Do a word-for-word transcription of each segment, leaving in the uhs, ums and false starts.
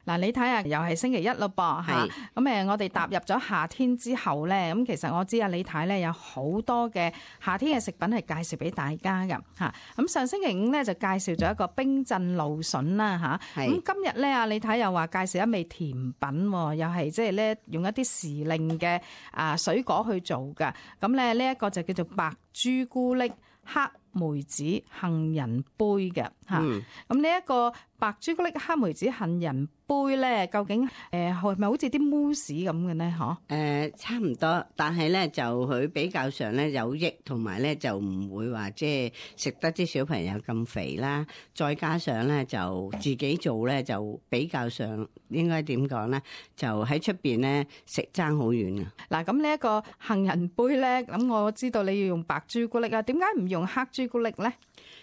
嗱，你睇下，又係星期一咯噃嚇，咁誒，我哋踏入咗夏天之後咧，咁其實我知啊，李太咧有好多嘅夏天嘅食品係介紹俾大家㗎嚇。咁上星期五咧就介紹咗一個冰鎮蘆筍啦嚇，咁今日咧啊，李太又話介紹一味甜品，又係即係咧用一啲時令嘅啊水果去做㗎。咁咧呢一個就叫做白朱古力黑梅子杏仁杯嘅嚇。咁呢一個白朱古力黑梅子杏仁杯咧，究竟誒係咪好似啲 mousse 咁嘅咧？嗬？誒、呃，差唔多，但係咧就佢比較上咧有益，同埋咧就唔會話即係食得啲小朋友咁肥啦。再加上咧就自己做咧就比較上應該點講咧？就喺出邊咧食爭好遠啊！嗱，咁呢一個杏仁杯咧，咁我知道你要用白朱古力啊，點解唔用黑朱古力咧？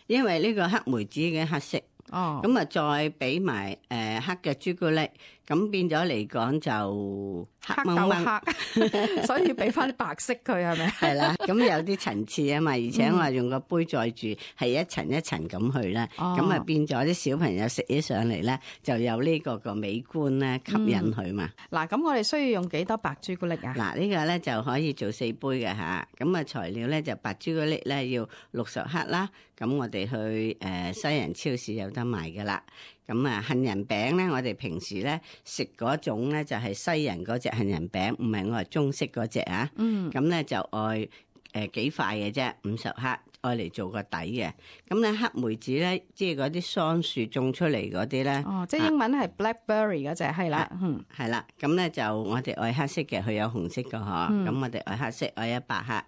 因為呢個黑梅子嘅黑色。哦，咁啊，再俾埋誒黑嘅朱古力，咁變咗嚟講就黑掹黑，所以俾翻啲白色佢係咪？係啦，咁有啲層次啊嘛，而且我話用個杯載住，係一層一層咁去啦，咁啊、哦、變咗啲小朋友食起上嚟咧，就有呢個個美觀咧吸引佢嘛。嗱、嗯，咁我哋需要用幾多白朱古力啊？嗱，呢個咧就可以做四杯嘅吓，咁啊材料咧就白朱古力咧要六十克啦，咁我哋去誒西人超市有得賣噶啦。咁啊，杏仁餅咧，我哋平時咧食嗰種咧就係西人嗰隻杏仁餅，唔係我係中式嗰隻啊。嗯。咁咧就愛誒幾塊嘅啫，五十克。愛嚟做個底嘅，咁咧黑梅子咧，即係嗰啲桑樹種出嚟嗰啲咧。哦，即係英文係 blackberry 嗰隻，係啦，嗯，係啦，咁咧就我哋愛黑色嘅，佢有紅色嘅嗬，咁、嗯、我哋愛黑色愛一百克，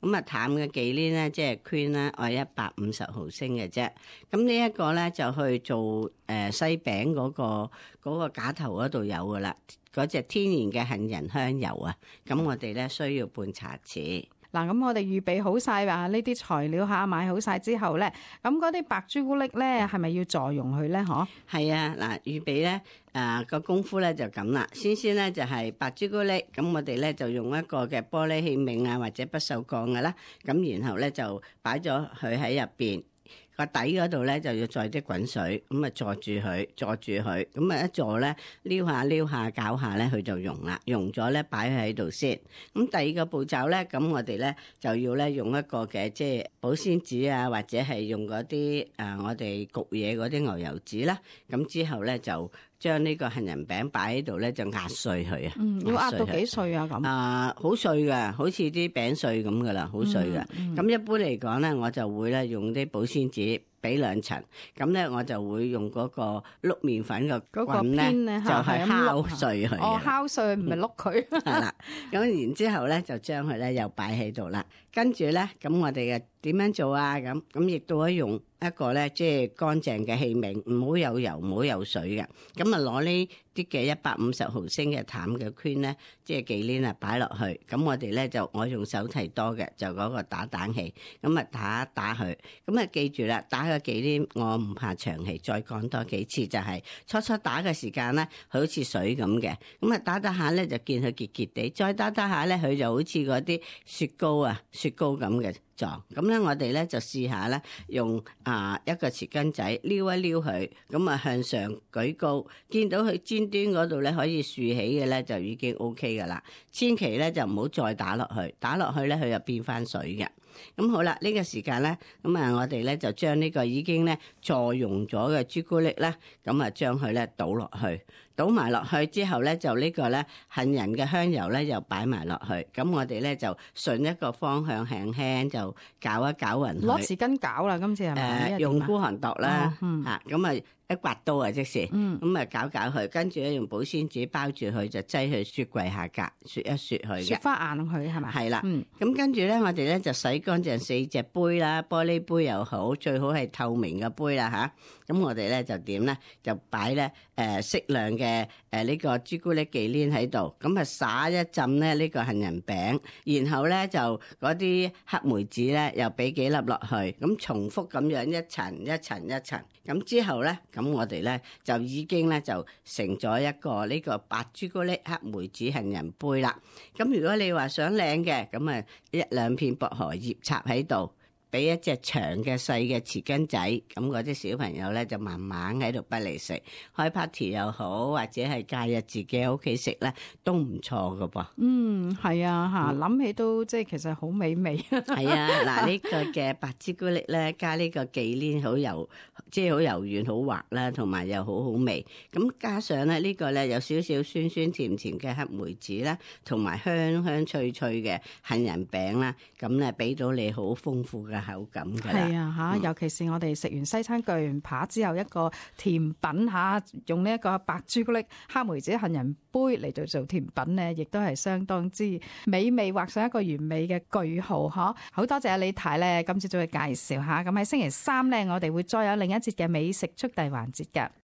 咁啊淡嘅忌廉咧，即係 cream 咧，愛一百五十毫升嘅啫。咁呢一個咧就去做誒西餅嗰、嗰個嗰、嗰個架頭嗰度有噶啦，嗰隻天然嘅杏仁香油啊，咁我哋咧需要半茶匙。嗱，咁我哋預備好晒啊呢啲材料嚇，買好晒之後咧，咁嗰啲白朱古力咧係咪要助溶佢咧？嗬，係啊，嗱，預備咧誒個功夫咧就咁啦。先先咧就係白朱古力，咁我哋咧就用一個嘅玻璃器皿啊，或者不鏽鋼嘅啦，咁然後咧就擺咗佢喺入邊。個底嗰度咧就要再啲滾水，咁啊坐住佢，坐住佢，咁啊一坐咧撩下撩下攪下咧，佢就溶啦，溶咗咧擺喺度先。咁第二個步驟咧，咁我哋咧就要咧用一個嘅即係保鮮紙啊，或者係用嗰啲誒我哋焗嘢嗰啲牛油紙啦。咁之後咧就將呢個杏仁餅擺喺度咧，就壓碎佢啊。嗯，要壓到幾碎啊？咁啊，好碎噶，好似啲餅碎咁噶啦，好碎噶。咁、嗯嗯、一般嚟講咧，我就會咧用啲保鮮紙。俾兩層，咁咧我就會用嗰個碌麵粉嘅棍咧，就係敲碎佢。哦，敲碎唔係碌佢。係啦，咁然之後咧就將佢咧又擺喺度啦。跟住咧，咁我哋嘅點樣做啊？咁咁亦都可以用一個咧，即係乾淨嘅器皿，唔好有油，唔好有水嘅。咁啊，攞呢啲嘅一百五十毫升嘅淡嘅 cream 咧，即係忌廉啊，擺落去。咁我哋咧就我用手提多嘅，就嗰個打蛋器，咁啊打一打佢。咁啊記住啦，打個忌廉，我唔怕長氣，再講多幾次，就係初初打嘅時間咧，佢好似水咁嘅。咁啊打打下咧就見佢結結地，再打打下咧佢就好似嗰啲雪糕啊。雪糕咁嘅狀，咁咧我哋咧就試下咧，用啊一個匙羹仔撩一撩佢，咁啊向上舉高，見到佢尖端嗰度咧可以豎起嘅咧就已經 O K 噶啦，千祈咧就唔好再打落去，打落去咧佢就變翻水嘅。咁好啦，呢個時間咧，咁啊我哋咧就將呢個已經咧助溶咗嘅朱古力咧，咁啊將佢咧倒落去，倒埋落去之後咧，就呢個咧杏仁嘅香油咧又擺埋落去，咁我哋咧就順一個方向輕輕就攪一攪勻佢。攞匙羹攪啦，今次係咪？誒，用孤寒度啦，哦嗯、吓咁啊。一刮刀啊，即是，咁啊搞搞佢，跟住咧用保鮮紙包住佢，就擠去雪櫃下格，雪一雪佢嘅，雪翻硬佢係咪？係啦，咁、嗯、跟住咧，我哋咧就洗乾淨四隻杯啦，玻璃杯又好，最好係透明嘅杯啦吓。咁我哋咧就點咧，就擺咧誒適量嘅誒呢個朱古力忌廉喺度，咁啊撒一浸咧呢個杏仁餅，然後咧就嗰啲黑梅子咧又俾幾粒落去，咁重複咁樣一層一層一層，咁之後咧。咁我哋咧就已經咧就成咗一個呢個白朱古力黑梅子杏仁杯啦。咁如果你話想靚嘅，咁啊一兩片薄荷葉插喺度，俾一隻長嘅細嘅匙羹仔，咁嗰啲小朋友咧就慢慢喺度不嚟食，開 party 又好，或者係假日自己喺屋企食咧，都唔錯噶噃。嗯，係啊，嚇諗起都即係其實好美味。係啊，嗱呢個嘅白朱古力咧，加呢個忌廉好柔，即係好柔軟好滑啦，同埋又好好味。咁加上咧呢個咧有少少酸酸甜甜嘅黑梅子啦，同埋香香脆脆嘅杏仁餅啦，咁咧俾到你好豐富嘅口感㗎啦。係啊，嚇、嗯！尤其是我哋食完西餐巨型扒之後，一個甜品嚇，用呢一個白朱古力黑梅子杏仁杯嚟到做甜品咧，亦都係相當之美味，畫上一個完美嘅句號呵！好多謝李太咧，今次做嘅介紹嚇。咁喺星期三咧，我哋會再有另一節嘅美食速遞環節㗎。